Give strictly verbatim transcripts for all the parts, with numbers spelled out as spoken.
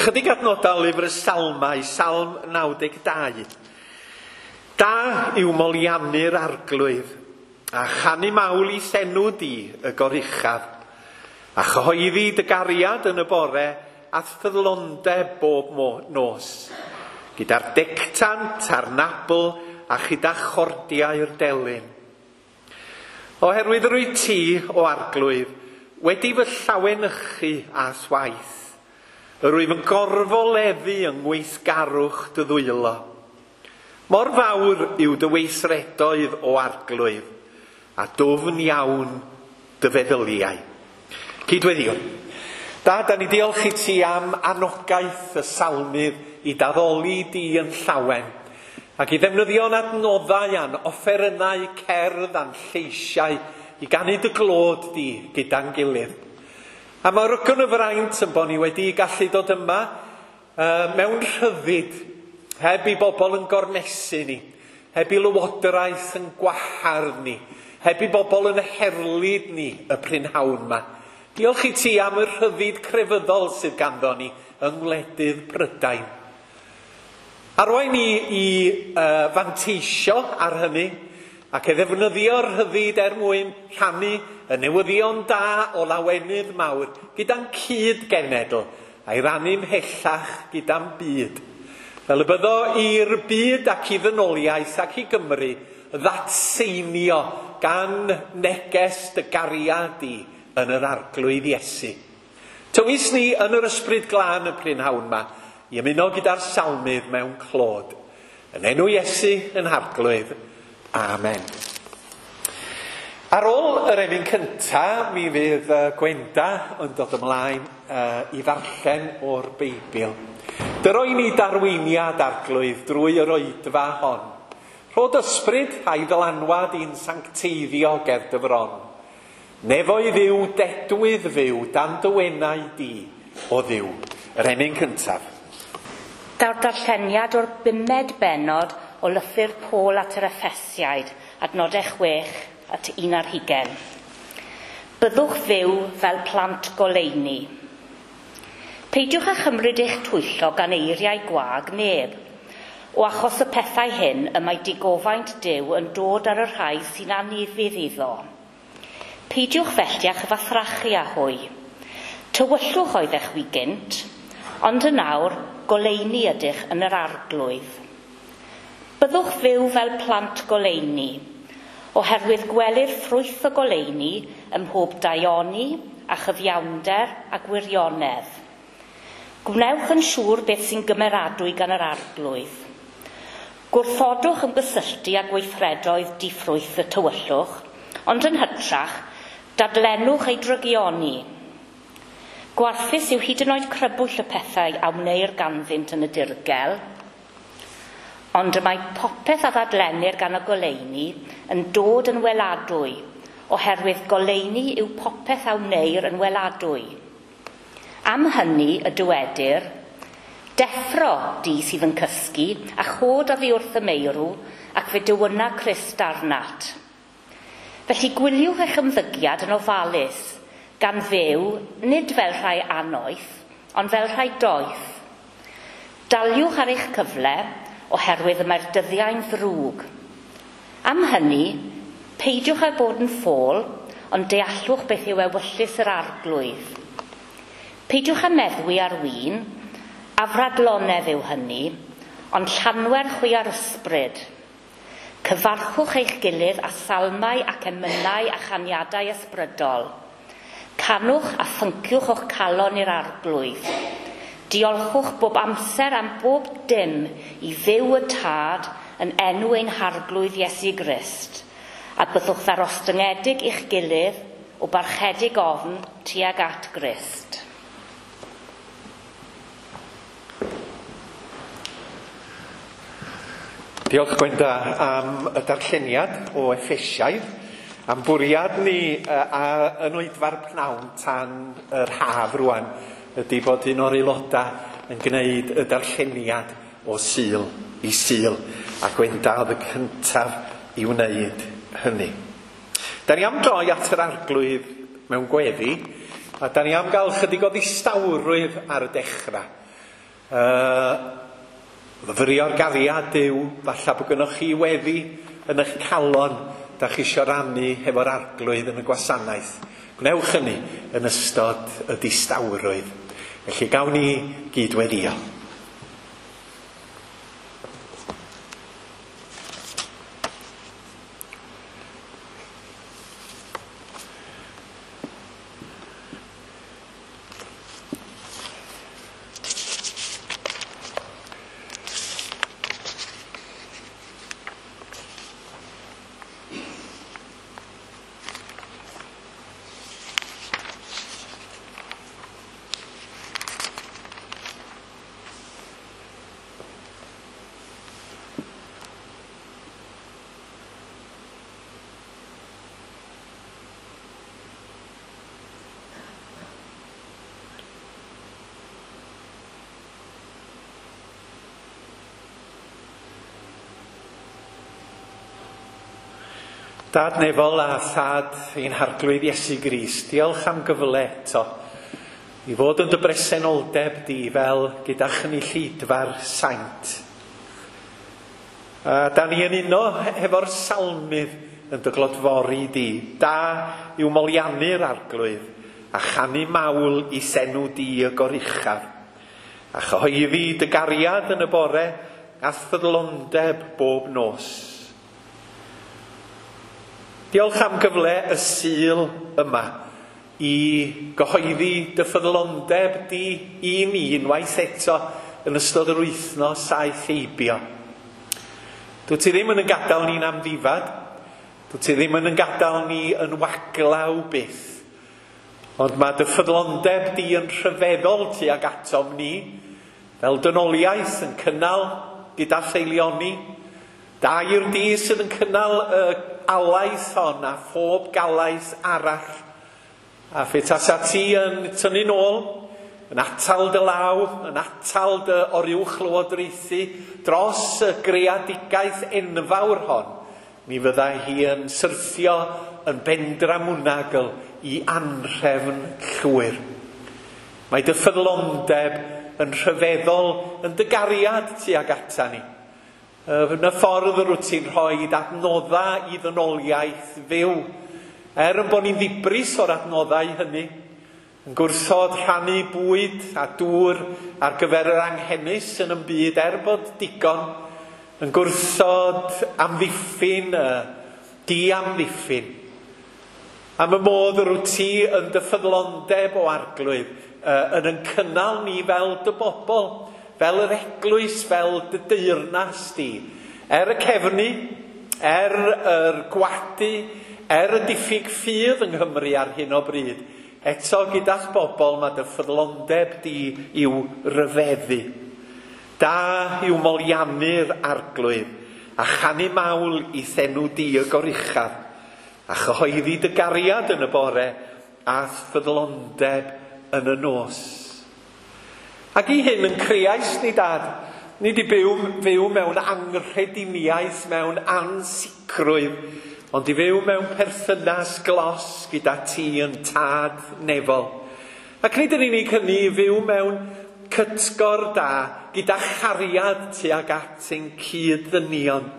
Chydig adnodau lyfr y Salmau, Salm naw deg dau. Da yw moliannu'r arglwydd, a chanu mawl i senw di y goruchaf, a chyhoeddi dy gariad yn y bore a ffyddlondeb bob nos, gyda'r dectant a'r nabl a chyda chordiau'r delyn. Oherwydd rwy ti, o arglwydd, wedi fy llawenychu a swaith, yr wyf yn gorfoleddu yng ngweithgarwch dy ddwylo. Mor fawr yw dy weithredoedd o arglwydd, a dwfn iawn dy feddyliau. Cydweddiwn. Da, da ni diolch i ti am anogaeth y salmydd i daddoli di yn llawen, ac i ddefnyddio'n adnoddau a'n offerynnau cerdd a'n lleisiau i ganu dy glod di gyda'n gilydd. A mae'r rwgwn y fraint yn bod ni wedi gallu dod yma uh, mewn rhyddid, heb i bobl yn gormesu ni, heb i lywodraeth yn gwahardd ni, heb i bobl yn herlid ni y prynhawn yma. Diolch i ti am y rhyddid crefyddol sydd ganddo ni yng ngwledydd Prydain. Arwain ni i uh, fanteisio ar hynny ac i ddefnyddio'r rhyddid er mwyn rhannu y newyddion da o lawenydd mawr gyda'n cyd-genedl a'i rannu ymhellach gyda'n byd. Fel y byddo i'r byd ac i ddynoliaeth ac i Gymru ddatseinio gan neges dy gariad di yn yr arglwydd Iesu. Tywys ni yn yr ysbryd glân y prynhawn yma i ymuno gyda'r salmydd mewn clod. Yn enw Iesu yn harglwydd. Amen. Ar ôl yr emyn cynta, mi fydd Gwenda yn dod ymlaen uh, i ddarllen o'r Beibl. Dyroi ni darweiniad arglwydd drwy yr oedfa hon. Rhod ysbryd a'i ddylanwad i'n sancteiddio ger dy fron. Nefoedd yw dedwydd fyw dan dy wenau di o Dduw. Yr emyn cyntaf. Daw'r darlleniad o'r bumed bennod o lythyr Paul at yr Effesiaid, adnodau chwech at un ar hugain. Byddwch fyw fel plant goleuni. Peidiwch â chymryd eich twyllo gan eiriau gwag neb. O achos y pethau hyn y mae digofaint Duw yn dod ar y rhai sy'n anufudd iddo. Peidiwch felly â chyfathrachu â hwy. Tywyllwch oeddech chwi gynt, ond yn awr goleuni ydych yn yr arglwydd. Byddwch fyw fel plant goleuni, oherwydd gwelir ffrwyth y goleuni ym mhob daioni a chyfiawnder a gwirionedd. Gwnewch yn siŵr beth sy'n gymeradwy gan yr arglwydd. Gwrthodwch ymgysylltu â gweithredoedd diffrwyth y tywyllwch, ond yn hytrach, dadlennwch ei drygioni. Gwarthus yw hyd yn oed crybwyll y pethau a wneir ganddynt yn y dirgel, ond y mae popeth a ddadlennir gan y goleuni yn dod yn weladwy, oherwydd goleuni yw popeth a wneir yn weladwy. Am hynny y dywedir, deffro di sydd yn cysgu, a chod oddi wrth y meirw, ac fe dywyna Crist arnat. Felly gwyliwch eich ymddygiad yn ofalus, gan fyw, nid fel rhai annoeth, ond fel rhai doeth. Daliwch ar eich cyfle, oherwydd y mae'r dyddiau'n ddrwg. Am hynny, peidiwch â bod yn ffôl, ond deallwch beth yw ewyllys yr arglwydd. Peidiwch â meddwi ar win, afradlonedd yw hynny, ond llanwer chwi ar ysbryd. Cyfarchwch eich gilydd â salmau ac emynau a chaniadau ysbrydol. Canwch a phynciwch o'ch calon i'r arglwydd. Diolchwch bob amser am bob dim i Dduw y Tad yn enw ein harglwydd Iesu Grist, a byddwch ddarostyngedig i'ch gilydd o barchedig ofn tuag at Grist. Diolch Gwenda am y darlleniad o Effesiaid, am bwriad ni uh, a yn oedfa'r pnawn tan yr haf rwan ydy bod un o'r aelodau yn gwneud y darlleniad o Sul i Sul, a Gwenda oedd y cyntaf i wneud hynny. Da ni am droi at yr arglwydd mewn gweddi, a da ni am gael chydig o ddistawrwydd ar y dechrau. Uh, myfyrio'r gariad Duw, falle bod gynnoch chi weddi yn eich calon, da chi isio rannu hefo'r Arglwydd yn y gwasanaeth. Gwnewch hynny yn ystod y distawrwydd. Felly gawn ni gydweddio. Dad nefol a thad ein Harglwydd Iesu Grist, diolch am gyfle eto i fod yn dy bresenoldeb di fel gyda chynulleidfa'r saint. A da ni yn uno hefo'r salmydd yn dy glodfori di. Da yw moliannu'r Arglwydd a chanu mawl i senw di y goruchaf. A chyhoeddi dy gariad yn y bore a ffyddlondeb bob nos. Diolch am gyfle y Sul yma i gyhoeddi dy ffyddlondeb di i ni unwaith eto yn ystod yr wythnos aeth heibio. Dwyt ti ddim yn yn gadael ni'n amddifad, dwyt ti ddim yn yn gadael ni yn waglaw byth, ond mae dy ffyddlondeb di yn rhyfeddol tuag atom ni, fel dynoliaeth yn cynnal gyda theilioni, da yw'r di sydd yn cynnal y alaeth hon a phob galaeth arall. A phe tasa ti yn tynnu nôl, yn atal dy law, yn atal dy oruwch lywodraethu dros y greadigaeth enfawr hon, mi fyddai hi yn syrthio yn bendramwnagl i anrhefn llwyr. Mae dy ffyddlondeb yn rhyfeddol yn dy gariad tuag ata ni. Yn y ffordd yr wyt ti'n rhoi adnoddau i ddynoliaeth fyw, er yn bod ni'n ddibris o'r adnoddau hynny, yn gwrthod rhannu bwyd a dŵr ar gyfer yr anghenus yn y byd er bod digon, yn gwrthod amddiffyn, y diamddiffyn. Am y modd yr wyt ti yn dy ffyddlondeb o Arglwydd, yn yn cynnal ni fel dy bobl, fel yr eglwys, fel dy deyrnas di. Er y cefnu, er yr gwadu, er y diffyg ffydd yng Nghymru ar hyn o bryd, eto gyda'ch bobl mae dy ffyddlondeb di i'w ryfeddu. Da yw moliannu'r Arglwydd, a chanu mawl i thenw di y goruchaf, a chyhoeddi dy gariad yn y bore, a ffyddlondeb yn y nos. Ac i hyn yn creais ni, Dad, ni di byw, fyw mewn anghrediniaeth, mewn ansicrwydd, ond i fyw mewn perthynas glos gyda ti yn tad nefol. Ac nid yn unig hynny, i fyw mewn cytgor da gyda chariad tuag at ein cyd-ddynion,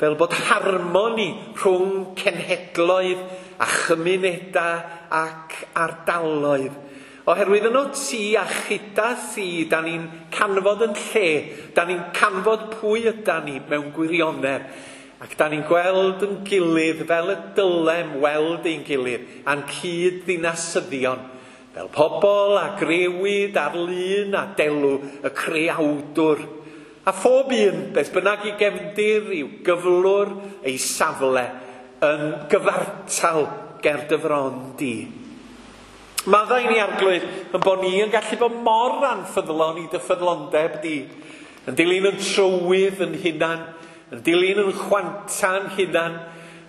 fel bod harmoni rhwng cenhedloedd a chymunedau ac ardaloedd. Oherwydd yno ti a chyda thi, da ni'n canfod yn lle, da ni'n canfod pwy yda ni mewn gwirionedd, ac da ni'n gweld yn gilydd fel y dylem weld ein gilydd, a'n cyd-ddinasyddion, fel pobl a grewyd ar lun a delw y creawdwr. A phob un, beth bynnag i gefndir, i'w gyflwr, ei safle, yn gyfartal ger dy fron di. Maddau ni, Arglwydd, yn bod ni yn gallu bod mor anffyddlon i dy ffyddlondeb di, yn dilyn yn trywydd yn hunan, yn dilyn yn chwanta'n hunan,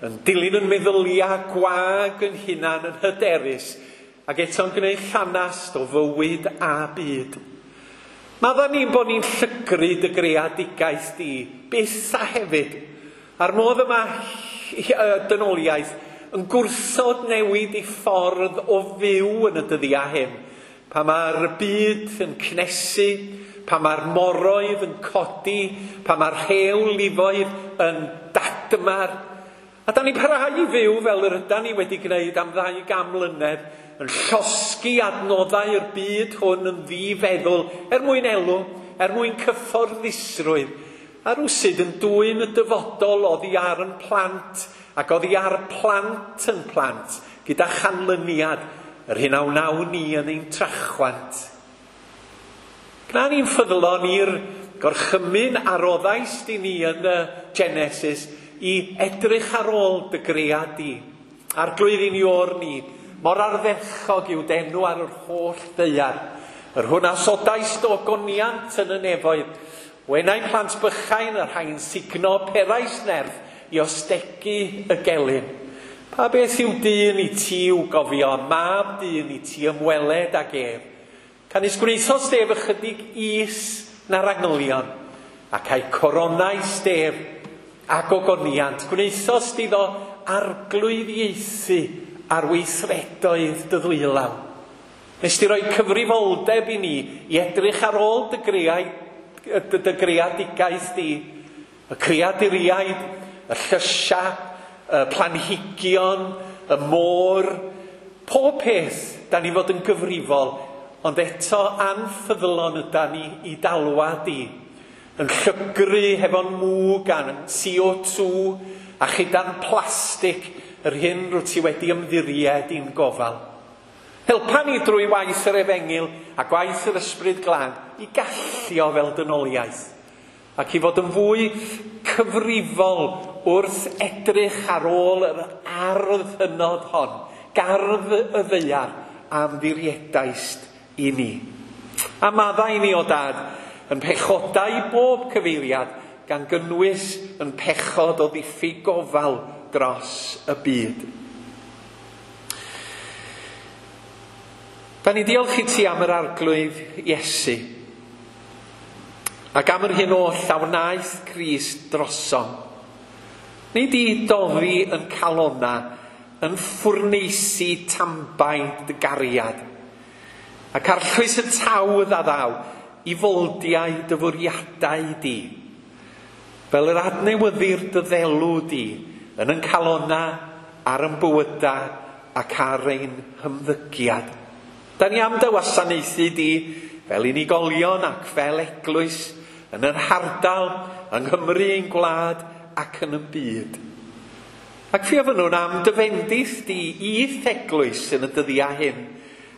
yn dilyn yn meddyliau gwag yn hunan, yn hyderus, ac eto'n gwneud llanast o fywyd a byd. Maddau ni'n bod ni'n llygru dy greadigaeth di, byth a hefyd, a'r modd yma dynoliaeth yn gwrthod newid i ffordd o fyw yn y dyddiau hyn, pan mae'r byd yn cnesu, pa mae'r moroedd yn codi, pa mae'r rhewlifoedd yn dadmar. A da ni'n parhau i fyw fel yr ydan ni wedi gwneud am ddau gan mlynedd, yn llosgi adnoddau'r byd hwn yn ddifeddwl, er mwyn elw, er mwyn cyfforddusrwydd, a rwsyd yn dwyn y dyfodol oddi ar yn plant, ac oddi ar plant yn plant, gyda chanlyniad yr hyn a wnawn ni yn ein trachwant. Gwna ni'n ffyddlon i'r gorchymyn a roddaist i ni yn y Genesis i edrych ar ôl dy gread di. Arglwydd i ni o'r ni, mor ardderchog yw d'enw ar yr holl ddaear. Yr hwn a sodaist o goniant yn y nefoedd, wenau plant bychain y rhai'n sugno perais nerth i ostegu y gelyn. Pa beth yw dyn i ti i'w gofio, mab dyn i ti ymweled ag ef? Canys gwnaethost ef ychydig is na'r angylion, ac a'i coronais ef ag ogoniant. Gwnaethost iddo arglwyddiaethu ar weithredoedd dy ddwylaw. Nes di roi cyfrifoldeb i ni i edrych ar ôl dy, greau, dy, dy greadigaeth di, y creaduriaid, y llysia, y planhigion, y môr, pob peth da ni fod yn gyfrifol, ond eto anffyddlon yda ni i dalwa di, yn llygru hefo'n mwg a'n C O two a chyda'n plastig yr hyn rwyt ti wedi ymddiried i'n gofal. Helpa ni drwy waith yr efengyl a gwaith yr ysbryd glân i gallio fel dynoliaeth, ac i fod yn fwy cyfrifol wrth edrych ar ôl yr ardd hynod hon, gardd y ddaear a ymddiriedaist i ni. A maddau ni o dad yn pechodau bob cyfeiriad, gan gynnwys yn pechod o ddiffyg gofal dros y byd. Da ni diolch i ti am yr Arglwydd Iesu, ac am yr hyn oll a wnaeth Crist drosom. Nid i doddi yn calona, yn ffwrneisi tambaid dy gariad, ac arllwys y tawdd a ddaw i foldiau dy fwriadau di, fel yr adnewyddir dy ddelw di, yn yn calona, ar yn bywyda ac ar ein hymddygiad. Da ni am dy wasanaethu di fel unigolion ac fel eglwys, yn yr hardal, yng Nghymru ein gwlad ac yn y byd. Ac fi ofynnwn am dy fendith di i'th eglwys yn y dyddiau hyn,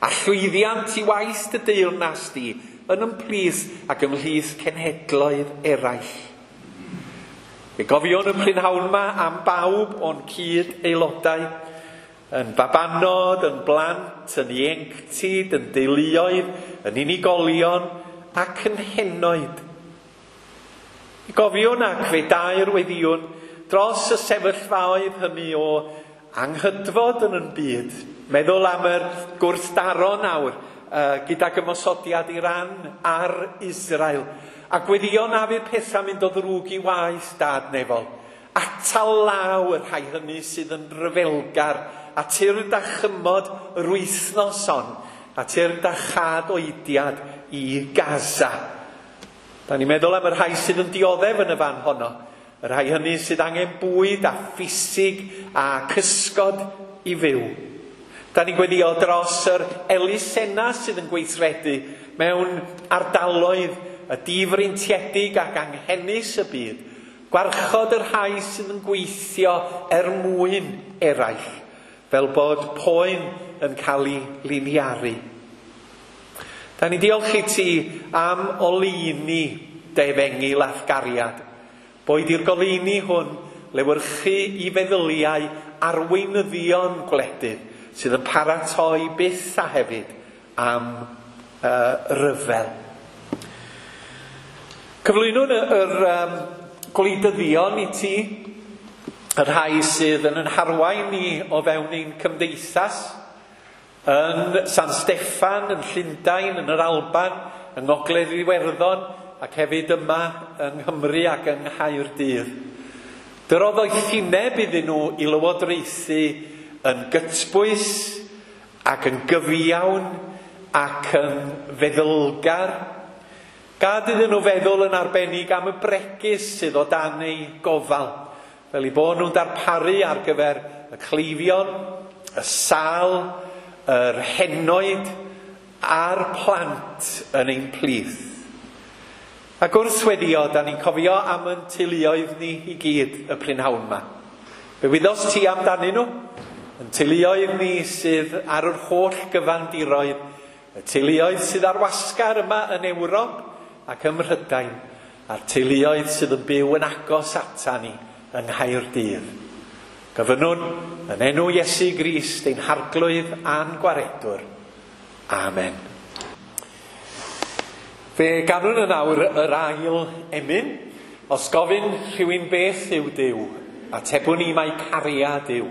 a llwyddiant i waith dy deyrnas di yn ymplith ac ymhlith cenhedloedd eraill. Fe gofiwn y prynhawn yma am bawb o'n cyd aelodau, yn babanod, yn blant, yn ieuenctid, yn deuluoedd, yn unigolion ac yn henoed. Fe gofiwn ac fe dair weddiwn dros y sefyllfaoedd hynny o anghydfod yn yn byd. Meddwl am yr gwrthdaro nawr uh, gydag ymosodiad Iran ar Israel. A gweddio na fydd pethau mynd o ddrwg i waith dad nefol. Atal law y rhai hynny sydd yn ryfelgar, a tyrd a chymod yr wythnos hon, a tyrd a chad oediad i Gaza. Da ni'n meddwl am y rhai sydd yn dioddef yn y fan honno, y rhai hynny sydd angen bwyd a ffisig a cysgod i fyw. Da ni'n gweddio dros yr elusennau sydd yn gweithredu mewn ardaloedd y difreintiedig ac anghenus y byd, gwarchod y rhai sydd yn gweithio er mwyn eraill, fel bod poen yn cael ei liniaru. Da ni diolch i ti am oleuni dy efengyl a'th gariad. Boed i'r goleuni hwn lewyrchu i feddyliau arweinyddion gwledydd sydd yn paratoi byth a hefyd am uh, ryfel. Cyflwynwn yr, yr um, gwleidyddion i ti, y rhai sydd yn yn harwain ni o fewn ein cymdeithas, yn San Steffan, yn Llundain, yn yr Alban, yng Ngogledd Iwerddon, ac hefyd yma yng Nghymru ac yng Nghaerdydd. Dyrodd doethineb iddyn nhw i lywodraethu yn gytbwys ac yn gyfiawn ac yn feddylgar, Gad iddyn nhw feddwl yn arbennig am y bregus sydd o dan eu gofal, fel eu bod nhw'n darparu ar gyfer y cleifion, y sâl, yr henoed a'r plant yn ein plith. Ac wrth weddio, da ni'n cofio am yn teuluoedd ni i gyd y prynhawn yma. Fe wyddost ti amdanyn nhw? Yn teuluoedd ni sydd ar yr holl gyfandiroedd, y teuluoedd sydd ar wasgar yma yn Ewrop ac ym Mhrydain, a'r teuluoedd sydd yn byw yn agos ata ni yng Nghaerdydd. Gofynnwn yn enw Iesu Grist ein Harglwydd a'n Gwaredwr. Amen. Fe ganwn yn awr yr ail emyn. Os gofyn rhywun beth yw Duw, atebwn ni mai cariad yw.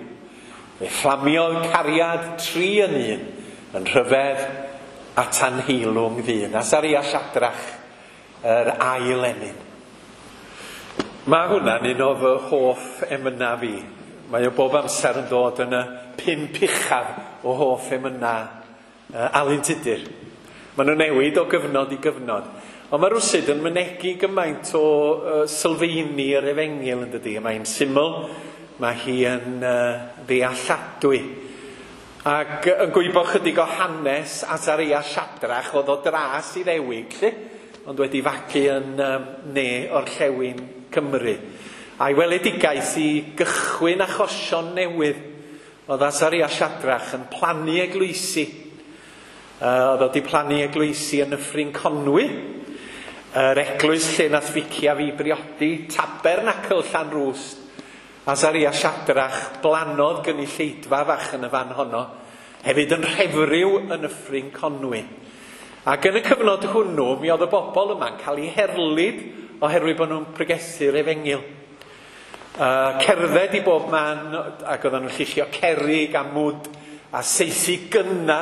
Fe fflamiodd cariad tri yn un, yn rhyfedd at anheilwng ddyn. Asaria Siadrach, yr ail emyn. Mae hwnna'n un o fy hoff emynau fi. Mae o bob amser yn dod yn y pump uchaf o hoff emynau uh, Alun Tudur. Maen nhw'n newid o gyfnod i gyfnod. Ond mae rwsyd yn mynegi gymaint o uh, sylfaeni yr efengyl yn dydi. Mae'n syml, mae hi yn uh, ddealladwy. Ac yn gwybod chydig o hanes Asaria Siadrach, oedd o dras i ddewig, lle, ond wedi fagu yn um, ne orllewin Cymru. A'i weledigaeth i gychwyn achosion newydd oedd Asaria Siadrach yn plannu eglwysi. Uh, oedd wedi plannu eglwysi yn Nyffryn Conwy, yr eglwys lle nath Fici a fi briodi, Tabernacl Llanrwst. Asaria Siadrach blanodd gynulleidfa fach yn y fan honno, hefyd yn Rhefriw yn Nyffryn Conwy. Ac yn y cyfnod hwnnw, mi oedd y bobl yma'n cael eu herlid oherwydd bod nhw'n pregethu'r efengyl. Uh, cerdded i bob man, ac oedden nhw'n lluchio cerrig a mwd a seithi gynna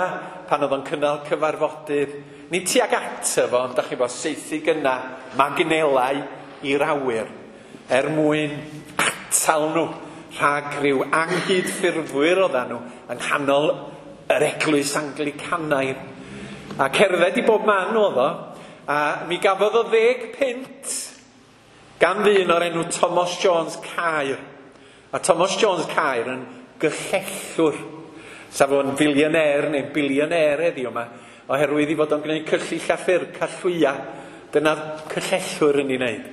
pan oedd o'n cynnal cyfarfodydd. Nid tuag ato fo, ond dach chi'n bod, seithi gynna, magnelau i'r awyr, er mwyn atal nhw rhag rhyw anghydffurfwyr oedden nhw yng nghanol yr eglwys Anglicanaidd. A cerdded i bob man oedd o, a mi gafodd o ddeg punt gan ddyn o'r enw Thomas Jones Caer. A Thomas Jones Caer yn gyllellwr. Sa fo'n fillionaire neu billionaire heddiw yma, oherwydd i fod o'n gwneud cyllill a ffyrc a llwya. Dyna'r cyllellwr yn ei wneud.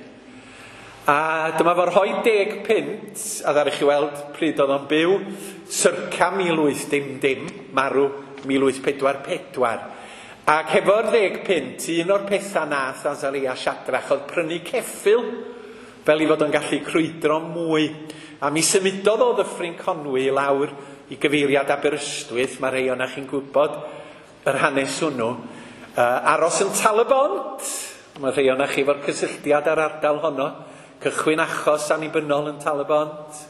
A dyma fo'n rhoi deg punt, a ddaru chi weld pryd oedd o'n byw, circa mil wyth dim dim, marw mil wyth pedwar pedwar. Ac hefo'r ddeg punt, un o'r pethau nath Asaria Siadrach oedd prynu ceffyl, fel i fod o'n gallu crwydro mwy. A mi symudodd o Ddyffryn Conwy i lawr i gyfeiriad Aberystwyth, mae rhai o'na chi'n gwybod yr hanes hwnnw. Uh, aros yn Tal-y-bont, mae rhai o'na chi efo'r cysylltiad ar ardal honno, cychwyn achos annibynnol yn Tal-y-bont,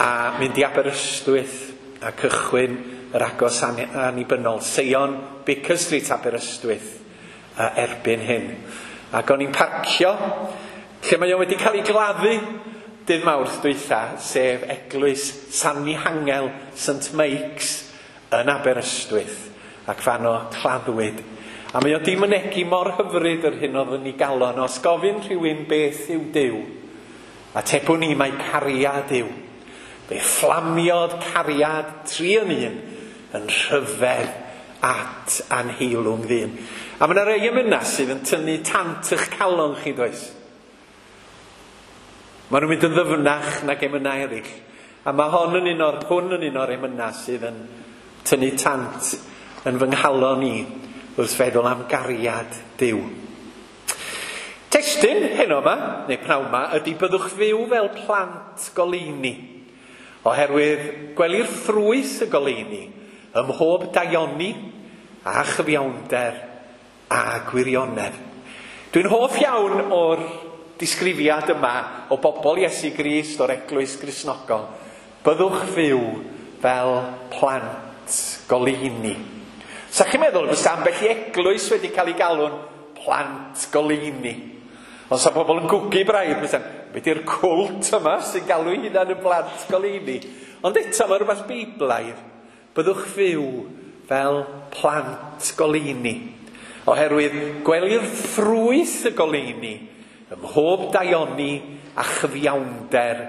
a mynd i Aberystwyth a cychwyn yr agos annibynnol, Seion, Baker Street, Aberystwyth, uh, erbyn hyn. Ac o'n i'n parcio, lle mae o wedi cael ei gladdu dydd Mawrth dwytha, sef eglwys San Mihangel Saint Mike's yn Aberystwyth, ac fan o claddwyd. A mae o di mynegi mor hyfryd yr hyn oedd yn ei galon. Os gofyn rhywun beth yw Duw, atebwn ni mai cariad yw. Fe fflamiodd cariad tri yn un yn rhyfedd at anheilwng ddyn. A mae yna rei emynau sydd yn tynnu tant eich calon chi, does? Maen nhw'n mynd yn ddyfnach nag emynau eraill. A mae hon yn un o'r, hwn yn un o'r emynau sydd yn tynnu tant yn fy nghalon i wrth feddwl am gariad Duw. Testun heno yma, neu pnawn yma, ydy byddwch fyw fel plant goleuni. Oherwydd gwelir ffrwyth y goleuni ym mhob daioni a chyfiawnder a gwirionedd. Dwi'n hoff iawn o'r disgrifiad yma o bobl Iesu Grist o'r eglwys Gristnogol. Byddwch fyw fel plant goleuni. Sa chi'n meddwl fysa ambell i eglwys wedi cael ei galw'n plant goleuni? Ond sa pobl yn gwgu braidd, fysa'n, be di'r cwlt yma sy'n galw ei hunan yn blant goleuni? Ond eto mae rhywbeth beiblaidd. Byddwch fyw fel plant goleuni. Oherwydd gwelir ffrwyth y goleuni ym mhob daioni a chyfiawnder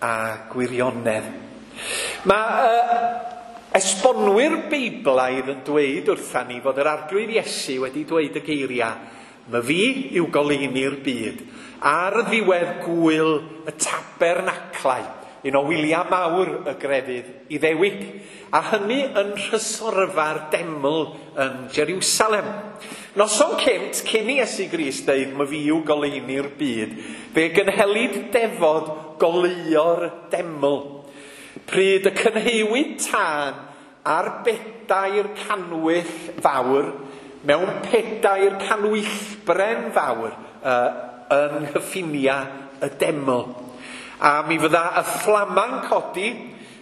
a gwirionedd. Mae uh, esbonwyr Beiblaidd yn dweud wrtha ni fod yr Arglwydd Iesu wedi dweud y geiriau "My fi yw goleuni'r byd" ar ddiwedd gwyl y tabernaclau, un o wyliau mawr y grefydd Iddewig, a hynny yn nhrysorfa'r deml yn Jerusalem. Noson cynt, cyn i Iesu Grist dweud "My fi yw goleuni'r byd", fe gynhelid defod goleuo'r deml. Pryd y cynheuwyd tân ar bedair canwyll fawr, mewn pedair canwyllbren fawr uh, yng nghyffiniau y deml. A mi fydda y fflama'n codi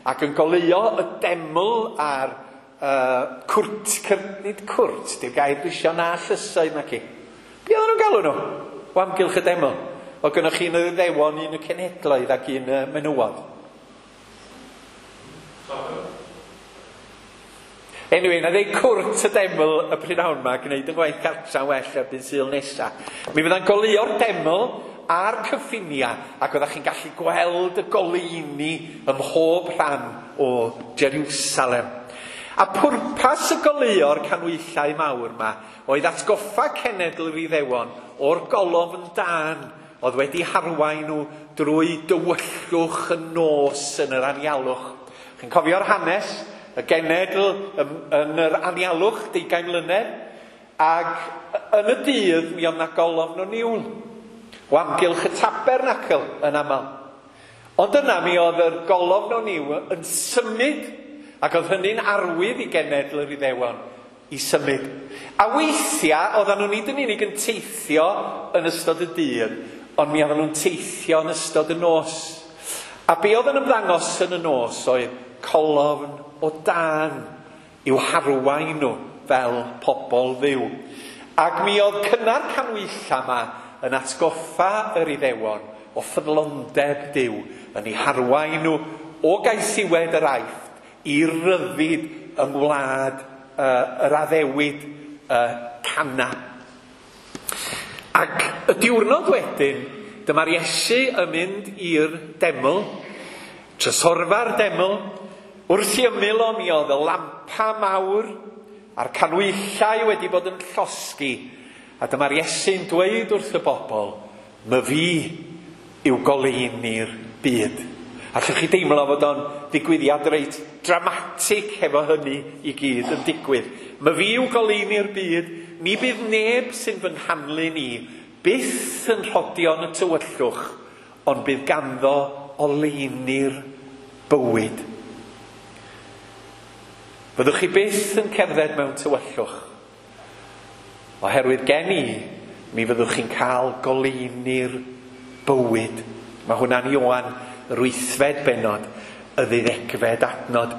ac yn goleuo y deml a'r uh, cwrt, cyr, nid cwrt, di'r gair dwi isio na llysoedd naci. Be oedden nhw'n galw nhw? O amgylch y deml. O gynnoch chi un yr Iddewon, un y cenhedloedd ac un y menywod. Anyway, na ddeud cwrt y deml y prynhawn yma, gwneud yn gwaith cartra'n well erbyn Sul nesa. Mi fydda'n goleuo'r deml a'r cyffiniau, ac oeddech chi'n gallu gweld y goleuni ym mhob rhan o Jerusalem. A pwrpas y goleuo'r canwyllau mawr yma oedd atgoffa cenedl yr Iddewon o'r golofn dân oedd wedi harwain nhw drwy dywyllwch y nos yn yr anialwch. Chi'n cofio'r hanes? Y genedl yn yr anialwch deugain mlynedd, ac yn y dydd mi oedd 'na golofn o niwl o amgylch y tabernacl yn aml. Ond yna mi oedd yr golofn o niwl yn symud, ac oedd hynny'n arwydd i genedl yr Iddewon i symud. A weithiau oedden nhw nid yn unig yn teithio yn ystod y dydd, ond mi oedden nhw'n teithio yn ystod y nos. A be oedd yn ymddangos yn y nos oedd colofn o dân i'w harwain nhw fel pobl Dduw. Ac mi oedd cynnar canwylla yma yn atgoffa yr Iddewon o ffyddlondeb Duw yn eu harwain nhw o gaethiwed yr Aifft i ryddid yng ngwlad uh, yr addewid uh, Cana. Ac y diwrnod wedyn, dyma'r Iesu yn mynd i'r deml, trysorfa'r deml. Wrth i ymyl o mi oedd y lampa mawr a'r canwyllau wedi bod yn llosgi. A dyma'r Iesu'n dweud wrth y bobl, "My fi yw goleuni'r byd." Allwch chi deimlo fod o'n ddigwyddiad reit dramatig hefo hynny i gyd yn digwydd. My fi yw goleuni'r byd, ni bydd neb sy'n fy nghanlyn i byth yn rhodio yn y tywyllwch, ond bydd ganddo oleuni'r bywyd. Byddwch chi byth yn cerdded mewn tywyllwch, oherwydd gen i, mi fyddwch chi'n cael goleuni'r bywyd. Mae hwnna'n Ioan, yr wythfed bennod, y ddeuddegfed adnod.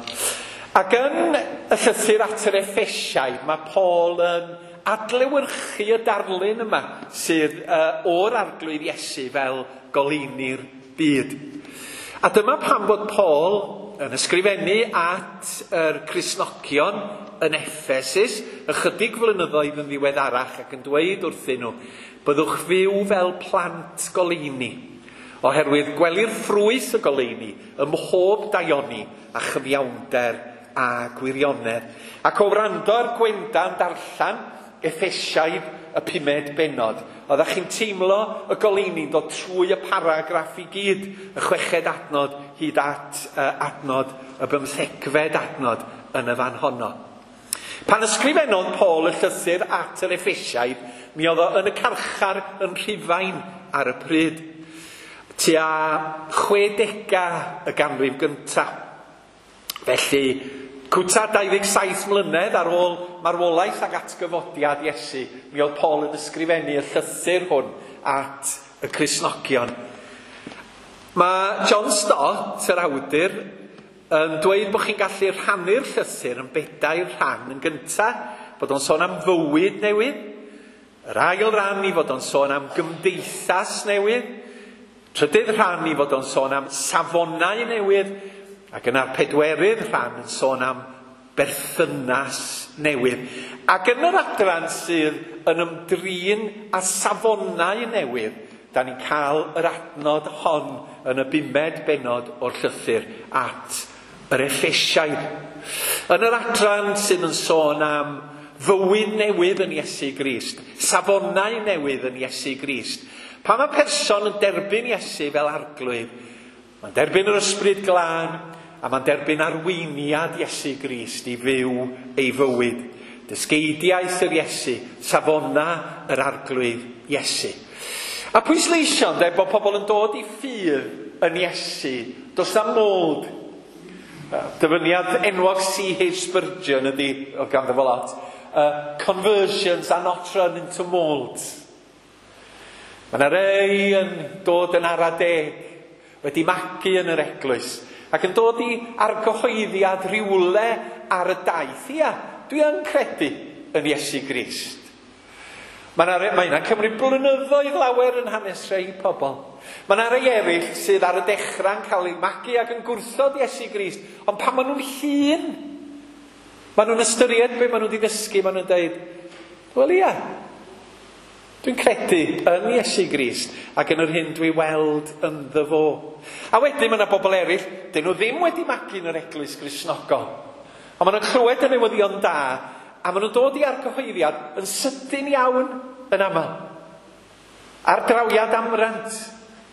Ac yn y llythyr at yr Effesiaid, mae Paul yn adlewyrchu y darlun yma sydd uh, o'r Arglwydd Iesu fel goleuni'r byd. A dyma pam bod Paul yn ysgrifennu at yr Cristnogion yn Effesus ychydig flynyddoedd yn ddiweddarach ac yn dweud wrthyn nhw, byddwch fyw fel plant goleuni, oherwydd gwelir ffrwyth y goleuni ym mhob daioni a chyfiawnder a gwirionedd. Ac o wrando ar Gwenda'n darllen Effesiaid y pumed bennod, oeddech chi'n teimlo y goleuni'n dod trwy y paragraff i gyd, y chweched adnod hyd at uh, adnod y bymthegfed adnod yn y fan honno. Pan ysgrifennodd Paul y llythyr at yr Effesiaid, mi oedd o yn y carchar yn Rhufain ar y pryd, tua chwedegau y ganrif gyntaf. Felly, cwta dau ddeg saith mlynedd ar ôl marwolaeth ac atgyfodiad Iesu, mi oedd Paul yn ysgrifennu y llythyr hwn at y Cristnogion. Mae John Stott, yr awdur, yn dweud bod chi'n gallu rhannu'r llythyr yn bedair rhan. Yn gyntaf, bod o'n sôn am fywyd newydd. Yr ail ran i fod o'n sôn am gymdeithas newydd. Trydydd rhan i fod o'n sôn am safonau newydd. Ac yna'r pedwerydd rhan yn sôn am berthynas newydd. Ac yn yr adran sydd yn ymdrin â safonau newydd, da ni'n cael yr adnod hon yn y bumed bennod o'r llythyr at yr Effesiaid. Yn yr adran sydd yn sôn am fywyd newydd yn Iesu Grist, safonau newydd yn Iesu Grist. Pan mae person yn derbyn Iesu fel arglwydd, mae'n derbyn yr Ysbryd Glân, a mae'n derbyn arweiniad Iesu Grist i fyw ei fywyd. Dysgeidiaeth yr Iesu, safona yr arglwydd Iesu. A pwysleisio, ynde, bod pobl yn dod i ffydd yn Iesu, does na mold. Dyfyniad enwog C H Spurgeon ydy, o ganddo fo lot, uh, conversions are not run into moulds. Mae yna rei yn dod yn ara deg, wedi magu yn yr eglwys, ac yn dod i argyhoeddiad rhywle ar y daith. Ia, dwi yn credu yn Iesu Grist. Mae yna mae yna cymryd blynyddoedd lawer yn hanes rhai pobl. Mae yna rhai eraill sydd ar y dechrau'n cael eu magu ac yn gwrthod Iesu Grist, ond pan maen nhw'n hŷn, maen nhw'n ystyried be maen nhw wedi ddysgu, maen nhw'n dweud, wel ia, dwi'n credu yn Iesu Grist ac yn yr hyn dwi weld ynddo fo. A wedyn mae yna bobl eraill, dyn nhw ddim wedi magu yn yr eglwys Gristnogol. Ond maen nhw'n clywed y newyddion da, a maen nhw'n dod i argyhoeddiad yn sydyn iawn yn aml. Ar drawiad amrant,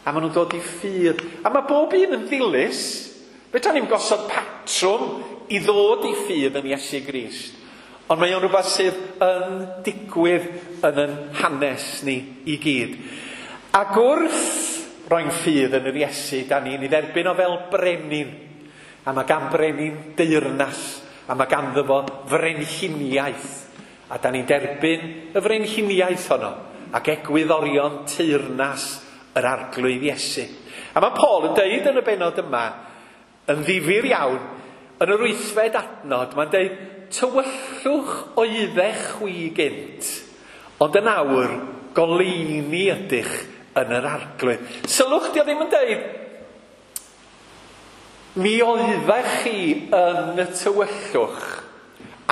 a maen nhw'n dod i ffydd. A mae bob un yn ddilys. Fedra ni'm gosod patrwm i ddod i ffydd yn Iesu Grist. Ond mae o'n rhywbeth sydd yn digwydd yn yn hanes ni i gyd. Ac wrth roi'n ffydd yn yr Iesu, da ni'n ei dderbyn o fel brenin. A mae gan brenin deyrnas, a mae ganddo fo frenhiniaeth. A da ni'n derbyn y frenhiniaeth honno, ac egwyddorion teyrnas yr arglwydd Iesu. A mae Paul yn deud yn y bennod yma, yn ddifyr iawn, yn yr wythfed adnod, mae'n deud, tywyllwch oeddech chwi gynt, ond yn awr goleuni ydych yn yr arglwydd. Sylwch, di o ddim yn deud, mi oeddech chi yn y tywyllwch,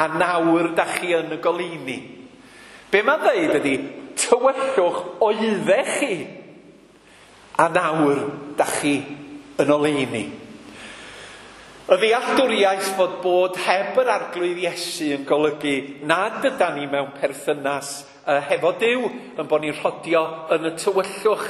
a nawr da chi yn y goleuni. Be mae'n dweud ydy, tywyllwch oeddech chi, a nawr da chi yn oleuni. Y ddealltwriaeth fod bod heb yr arglwydd Iesu yn golygu nad ydan ni mewn perthynas uh, hefo Duw, yn bod ni'n rhodio yn y tywyllwch,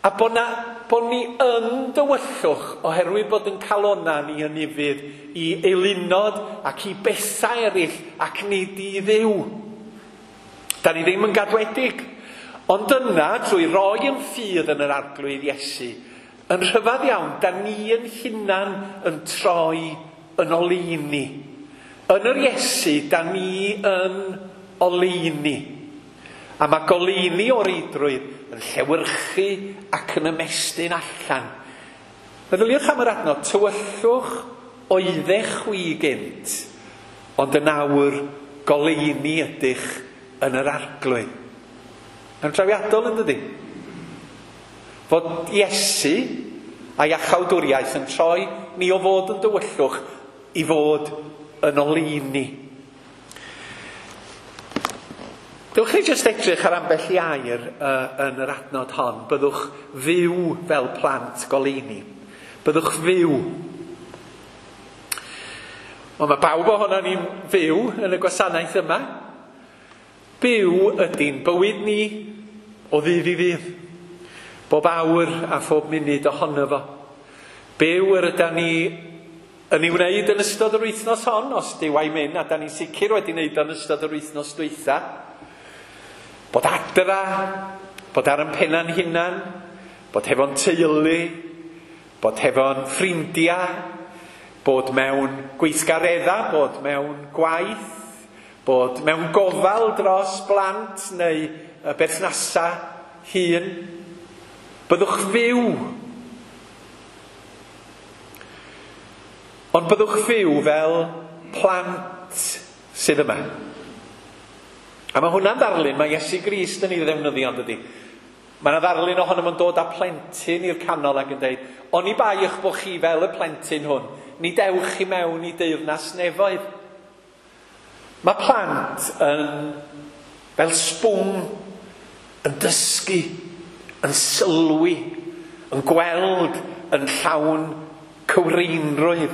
a bod, na, bod ni yn dywyllwch oherwydd bod yn calona ni yn ufudd i eilunod ac i bethau eraill ac nid i Dduw. Da ni ddim yn gadwedig, ond yna trwy roi yn ffydd yn yr arglwydd Iesu, yn rhyfedd iawn, da ni yn hunan yn troi yn oleuni. Yn yr Iesu, da ni yn oleuni. A mae goleuni o reidrwydd yn llewyrchu ac yn ymestyn allan. Meddyliwch am yr adnod, tywyllwch oeddech chwi gynt, ond yn awr goleuni ydych yn yr arglwydd. Mae'n trawiadol yn dydi? Fod Iesu a'i iachawdwriaeth yn troi ni o fod yn dywyllwch i fod yn oleuni. Dewch chi jyst edrych ar ambell i air uh, yn yr adnod hon. Byddwch fyw fel plant goleuni. Byddwch fyw. Ond mae bawb ohono ni'n fyw yn y gwasanaeth yma. Byw ydy'n bywyd ni o ddydd i ddydd. Bob awr a phob munud ohono fo. Byw yr ydan ni yn ei wneud yn ystod yr wythnos hon, os Duw a'i myn, a da ni'n sicr wedi wneud yn ystod yr wythnos dwytha. Bod adra, bod ar yn penna'n hunan, bod hefo'n teulu, bod hefo'n ffrindiau, bod mewn gweithgaredda, bod mewn gwaith, bod mewn gofal dros blant neu berthnasa hŷn. Byddwch fyw. Ond byddwch fyw fel plant sydd yma. A mae hwnna'n ddarlun, mae Iesu Grist yn ei ddefnyddio, yn dydi? Mae yna ddarlun ohono fo'n dod â plentyn i'r canol ac yn dweud, oni bai eich bod chi fel y plentyn hwn, ni dewch chi mewn i deyrnas nefoedd. Mae plant yn fel sbwng, yn dysgu, yn sylwi, yn gweld yn llawn cywreinrwydd.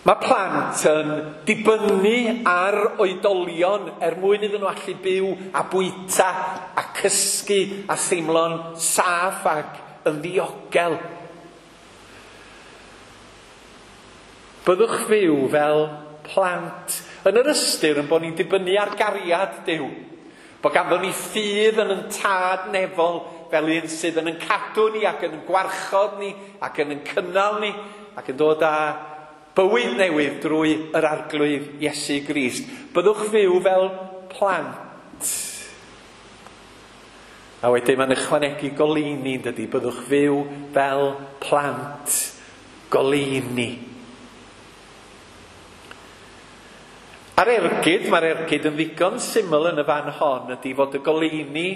Mae plant yn dibynnu ar oedolion er mwyn iddyn nhw allu byw a bwyta a cysgu a theimlo'n saff ac yn ddiogel. Byddwch fyw fel plant yn yr ystyr yn bod ni'n dibynnu ar gariad Duw. Bod ganddo ni ffydd yn yn tad nefol fel un sydd yn yn cadw ni ac yn gwarchod ni ac yn yn cynnal ni ac yn dod â bywyd newydd drwy yr Arglwydd Iesu Grist. Byddwch fyw fel plant. A wedyn mae'n ychwanegu goleuni, yn dydi? Byddwch fyw fel plant goleuni. A'r ergyd, mae'r ergyd yn ddigon syml yn y fan hon, ydy fod y goleuni,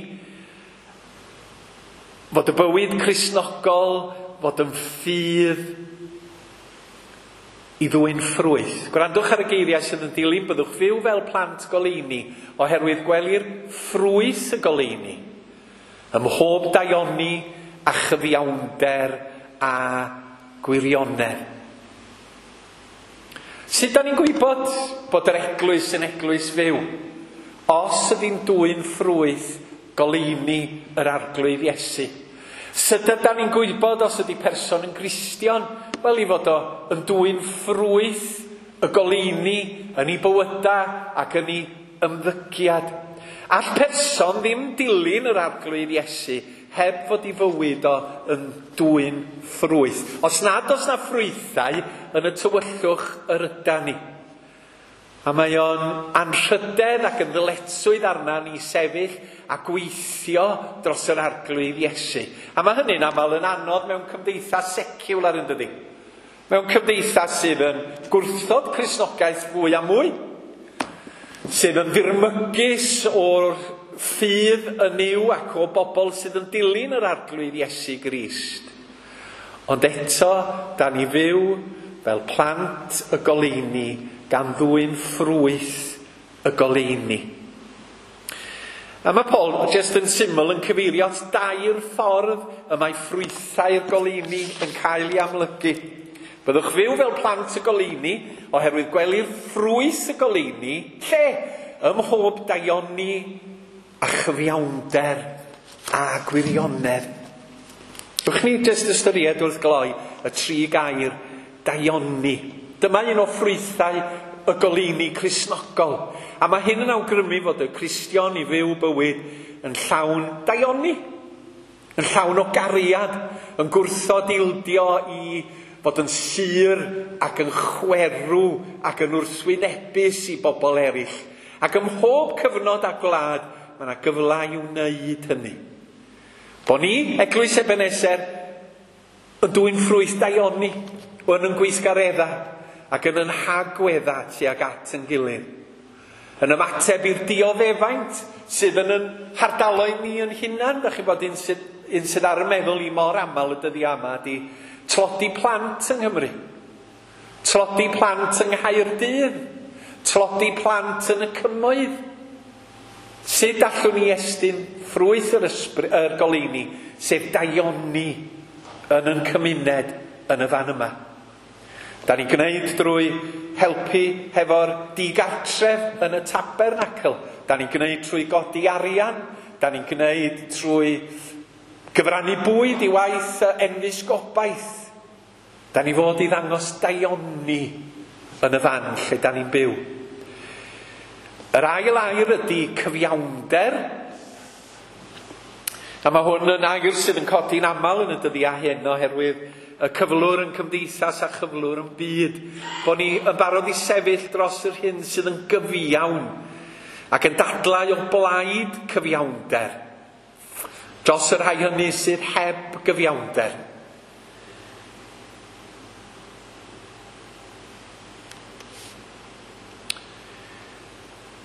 fod y bywyd Cristnogol, fod yn ffydd i ddwyn ffrwyth. Gwrandwch ar y geiriau sydd yn dilyn, byddwch fyw fel plant goleuni, oherwydd gwelir ffrwyth y goleuni ym mhob daioni a chyfiawnder a gwirionedd. Sut da ni'n gwybod bod yr eglwys yn eglwys fyw? Os ydy'n dwyn ffrwyth goleuni yr Arglwydd Iesu. Sut ydan ni'n gwybod os ydy person yn Gristion? Wel, i fod o yn dwyn ffrwyth y goleuni yn ei bywyda ac yn ei ymddygiad. All person ddim dilyn yr Arglwydd Iesu heb fod ei fywyd o yn dwyn ffrwyth. Os nad oes na ffrwythau yn y tywyllwch yr ydan ni. A mae o'n anrhydedd ac yn ddyletswydd arna ni sefyll a gweithio dros yr Arglwydd Iesu. A mae hynny'n aml yn anodd mewn cymdeithas seciwlar, yn dydi? Mewn cymdeithas sydd yn gwrthod Cristnogaeth fwy a mwy, sydd yn ddirmygus o'r ffydd yn Nuw ac o bobl sydd yn dilyn yr Arglwydd Iesu Grist. Ond eto, da ni fyw fel plant y goleuni gan ddwyn ffrwyth y goleuni. A mae Paul jyst yn syml yn cyfeirio at dair ffordd y mae ffrwythau'r goleuni yn cael ei amlygu. Byddwch fyw fel plant y goleuni, oherwydd gwelir ffrwyth y goleuni, lle? Ym mhob daioni a chyfiawnder a gwirionedd. Wch ni jyst ystyried wrth gloi y tri gair daioni. Dyma un o ffrwythau y goleuni Cristnogol. A mae hyn yn awgrymu fod y Cristion i fyw bywyd yn llawn daioni, yn llawn o gariad, yn gwrthod ildio i fod yn sur ac yn chwerw ac yn wrthwynebus i bobl eraill. Ac ym mhob cyfnod a gwlad, mae yna gyfle i wneud hynny. Bo ni, Eglwys Ebeneser, yn dwyn ffrwyth daioni, yn yn gweithgaredda ac yn yn hagwedda tuag at yn gilydd. Yn ymateb i'r dioddefaint sydd yn yn hardaloedd ni yn hunan. Da chi'n bod un sydd, un sydd ar y meddwl i mor aml y dyddiau yma ydy tlodi plant yng Nghymru. Tlodi plant yng Nghaerdydd. Tlodi plant yn y cymoedd. Sut allwn ni estyn ffrwyth yr, ysbry, yr goleuni, sef daioni yn yn cymuned yn y fan yma. Da ni'n gwneud drwy helpu hefo'r digartref yn y tabernacl. Da ni'n gwneud trwy godi arian. Da ni'n gwneud trwy gyfrannu bwyd i waith enfys gobaith. Da ni fod i ddangos daioni yn y fan lle da ni'n byw. Yr ail air ydy cyfiawnder. A mae hwn yn air sydd yn codi'n aml yn y dyddiau hyn oherwydd y cyflwr yn cymdeithas a chyflwr yn byd. Bo ni yn barod i sefyll dros yr hyn sydd yn gyfiawn ac yn dadlau o blaid cyfiawnder. Dros yr rhai hynny sydd heb gyfiawnder.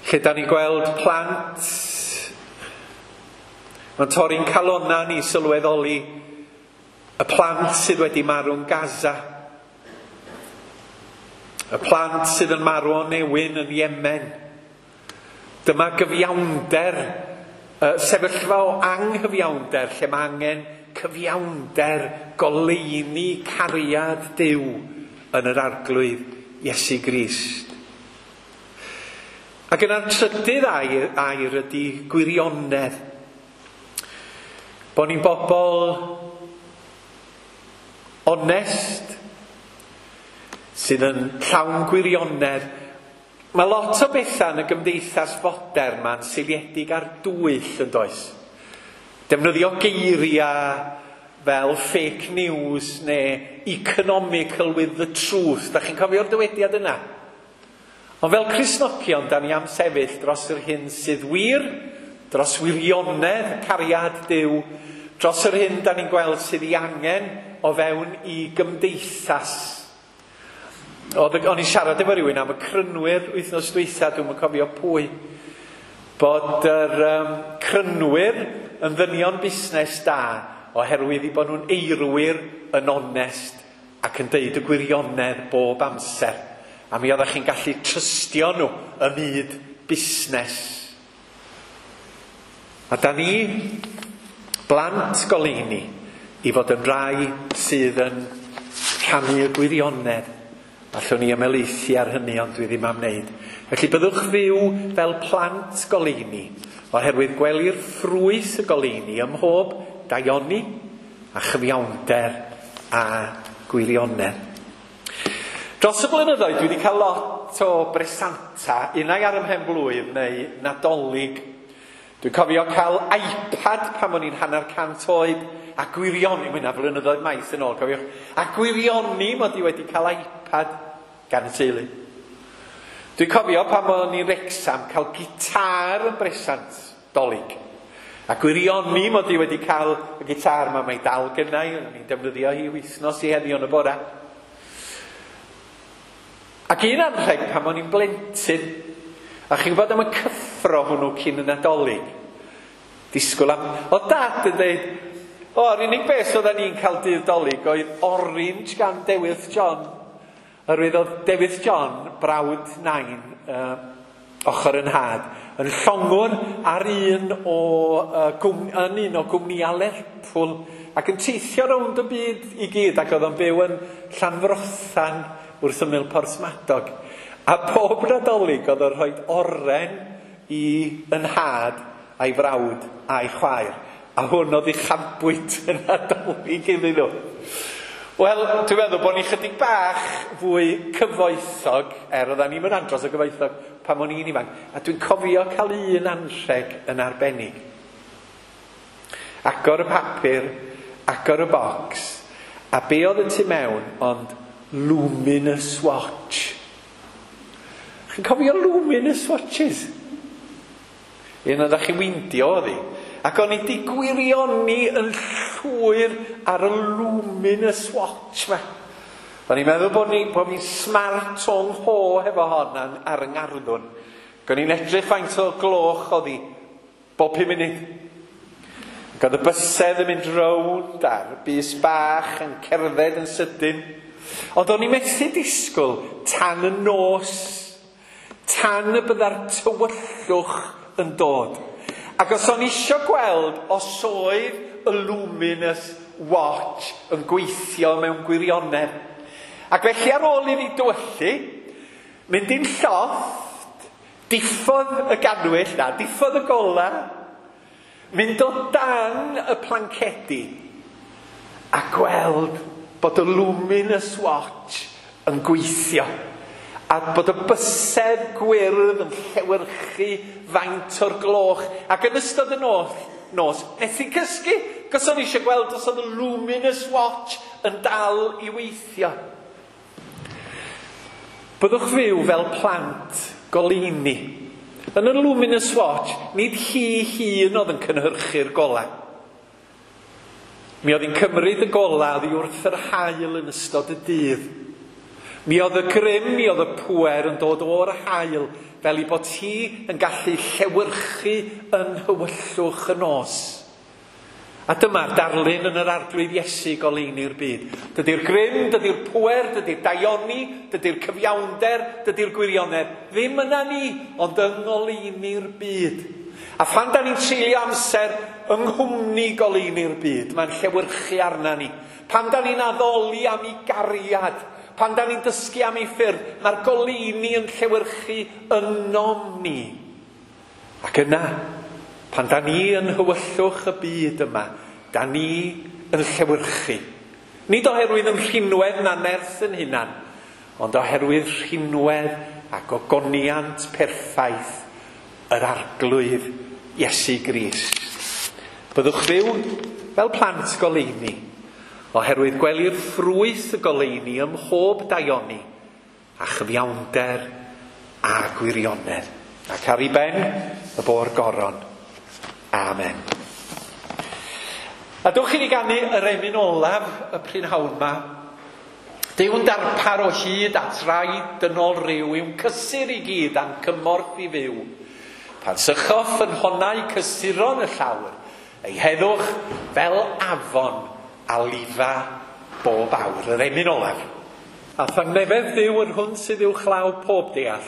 Lle da ni'n gweld plant, mae'n torri'n calonna ni sylweddoli y plant sydd wedi marw'n Gaza. Y plant sydd yn marw o newyn yn Yemen. Dyma gyfiawnder, sefyllfa o anghyfiawnder lle mae angen cyfiawnder, goleuni cariad Duw yn yr Arglwydd Iesu Grist. Ac yna'r trydydd air, air ydy gwirionedd. Bo ni'n bobl onest, sydd yn llawn gwirionedd. Mae lot o bethau yn y gymdeithas fodern ma'n seiliedig ar dwyll yn does. Defnyddio geiriau fel fake news neu economical with the truth. Da chi'n cofio'r dywediad yna? Ond fel Cristnogion, da ni am sefyll dros yr hyn sydd wir, dros wirionedd cariad Duw, dros yr hyn da ni'n gweld sydd ei angen o fewn i gymdeithas. Oedd, o'n i'n siarad efo rhywun am y crynwyr wythnos dwytha, dwi'm yn cofio pwy, bod yr um, crynwyr yn ddynion busnes da oherwydd i bod nhw'n eirwyr yn onest ac yn deud y gwirionedd bob amser. A mi oeddech chi'n gallu trystio nhw ym myd busnes. A da ni, blant goleuni, i fod yn rai sydd yn rhannu y gwirionedd. Allwn ni ymhelaethu ar hynny, ond dwi ddim am wneud. Felly byddwch fyw fel plant goleuni, oherwydd gwelir ffrwyth y goleuni ym mhob daioni a chyfiawnder a gwirionedd. Dros y blynyddoedd dwi wedi cael lot o bresanta, unai ar 'y mhen-blwydd neu Nadolig. Dwi'n cofio cael iPad pan o'n i'n hanner cant oed, a gwirioni, mae hynna flynyddoedd maith yn ôl, cofiwch, a gwirioni mod i wedi cael iPad gan y teulu. Dwi'n cofio pan o'n i'n Wrecsam cael gitar yn bresant Dolig. A gwirioni mod i wedi cael y gitar yma, mae dal gynna i, o'n i'n defnyddio hi wythnos i heddiw yn y bora. Ac un anrheg pan o'n i'n blentyn, a chi'n gwybod am y cyffro hwnnw cyn y Nadolig. Disgwyl am... O dad yn dweud, o, yr unig beth oedden ni'n cael dydd Dolig oedd orange gan Dewyrth John. Oherwydd oedd Dewyrth John, brawd nain, uh, ochr yn nhad, yn llongwr ar un o, uh, gwm, yn un o gwmnïau Lerpwl ac yn teithio rownd y byd i gyd, ac oedd o'n byw yn Llanfrothan wrth ymyl Porthmadog. A pob Nadolig oedd o'n rhoi oren i yn nhad a'i frawd a'i chwaer. A hwn oedd uchafbwynt y Nadolig iddyn nhw. Wel, dwi'n meddwl bod ni chydig bach fwy cyfoethog, er oedden ni'n mynd andros o gyfoethog pan o'n i'n ifanc, a dwi'n cofio cael un anrheg yn arbennig. Agor y papur, agor y bocs, a be oedd y tu mewn ond Luminous Watch. Chi'n cofio Luminous Watches? Un oeddech chi'n weindio oedd hi. Ac o'n i di gwirioni yn llwyr ar y Luminous Watch ma. O'n i'n meddwl bod, ni, bod fi'n smart o'n ho hefo hon ar, ar yng ngarddwn. Ac o'n i'n edrych faint o gloch oedd hi bob pum munud. Ac oedd y bysedd yn mynd rownd a'r bys bach yn cerdded yn sydyn. Ond o'n i'n methu disgwyl tan y nos, tan y bydda'r tywyllwch yn dod. Ac os o'n isio gweld os oedd y Luminous Watch yn gweithio mewn gwirionedd. Ac felly ar ôl iddi dywyllu, mynd i'n llofft, diffodd y ganwyll, na, diffodd y gola, mynd o dan y plancedi a gweld bod y Luminous Watch yn gweithio. A bod y bysedd gwyrdd yn llewyrchu faint o'r gloch. Ac yn ystod y nos, nos nes i cysgu, cos o'n i eisiau gweld os oedd y Luminous Watch yn dal i weithio. Byddwch fyw fel plant goleuni. Yn y Luminous Watch, nid hi hun oedd yn cynhyrchu'r golau. Mi oedd hi'n cymryd y golau oddi wrth yr haul yn ystod y dydd. Mi oedd y grym, mi oedd y pŵer yn dod o'r haul, fel i bod hi yn gallu llewyrchu yn nhywyllwch y nos. A dyma'r darlun yn yr Arglwydd Iesu goleuni'r byd. Dydy'r grym, dydy'r pŵer, dydy'r daioni, dydy'r cyfiawnder, dydy'r gwirionedd ddim yna ni, ond yng ngoleuni'r byd. A phan da ni'n treulio amser yng nghwmni goleuni'r byd, mae'n llewyrchu arna ni. Pan da ni'n addoli am ei gariad, pan da ni'n dysgu am ei ffyrdd, mae'r goleuni yn llewyrchu ynom ni. Ac yna, pan da ni yn hywyllwch y byd yma, da ni yn llewyrchu. Nid oherwydd yn rhinwedd na nerth yn hunan, ond oherwydd rhinwedd ac ogoniant perffaith yr Arglwydd Iesu Grist. Byddwch fyw fel plant goleuni, oherwydd gwelir ffrwyth y goleuni ym mhob daioni, a chyfiawnder a gwirionedd. Ac ar ei ben y bo'r goron. Amen. A dwch i ni ganu yr emyn olaf y prynhawn 'ma. Duw'n darpar o hyd at rai dynol ryw yw'n cysur i gyd a'n cymorth i fyw. Pan sychoff yn honau cysuron y llawr, ei heddwch fel afon a lifa bob awr. Yr emyn olaf. A thangnefedd Dduw yr hwn sydd uwchlaw pob deall,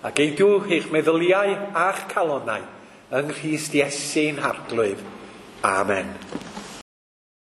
a geidw eich meddyliau a'ch calonnau yng Nghrist Iesu'n Harglwydd. Amen.